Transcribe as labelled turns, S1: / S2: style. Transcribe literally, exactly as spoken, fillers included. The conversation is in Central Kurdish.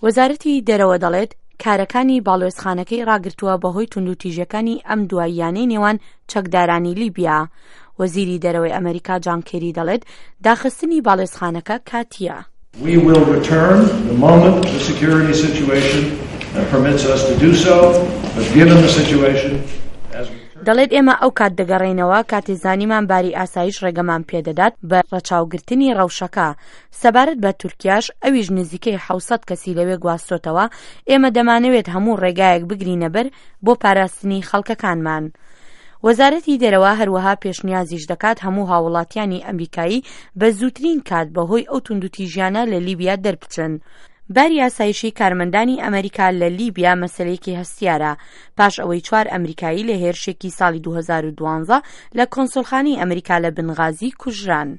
S1: وەزارەتی دەرەوە دەڵێت کارەکانی باڵوێزخانەکەی ڕاگرتووە بەهۆی توندوتیژیەکانی ئەم دواییانەی نێوان چەکدارانی لیبیا. وەزیری دەرەوەی ئەمریکا جان کێری دەڵێت داخستنی باڵوێزخانەکە کاتیە.
S2: We will return the moment the security situation permits us to do so, but given the situation as we
S1: دەڵێت ئێمە ئەو کات دەگەڕێینەوە کاتێ زانیمان باری ئاسایش ڕێگەمان پێدەدات بە ڕەچاوگرتنی ڕەوشەکە. سەبارەت بە تورکیاش ئەویش نزیکەی حەوت سەد کەسی لەوێ گواستۆتەوە، ئێمە دەمانەوێت هەموو ڕێگایەک بگرینە بەر بۆ پاراستنی خەڵکەکانمان. وەزارەتی دەرەوە هەروەها پێشنیازیش دەکات هەموو هاوڵاتیانی ئەمریکایی بە زووترین کات بەهۆی ئەو توندوتیژیانە لە لیبیا دەربچن. باری ئاسایشی کارمەندانی ئەمریکا لە لیبیا مەسلەیەکی هەستیارە پاش ئەوەی چوار ئەمریکایی لە هێرشێکی ساڵی دوو هەزار و دوازدە لە کۆنسۆلخانەی ئەمریکا لە بنغازی کوژران.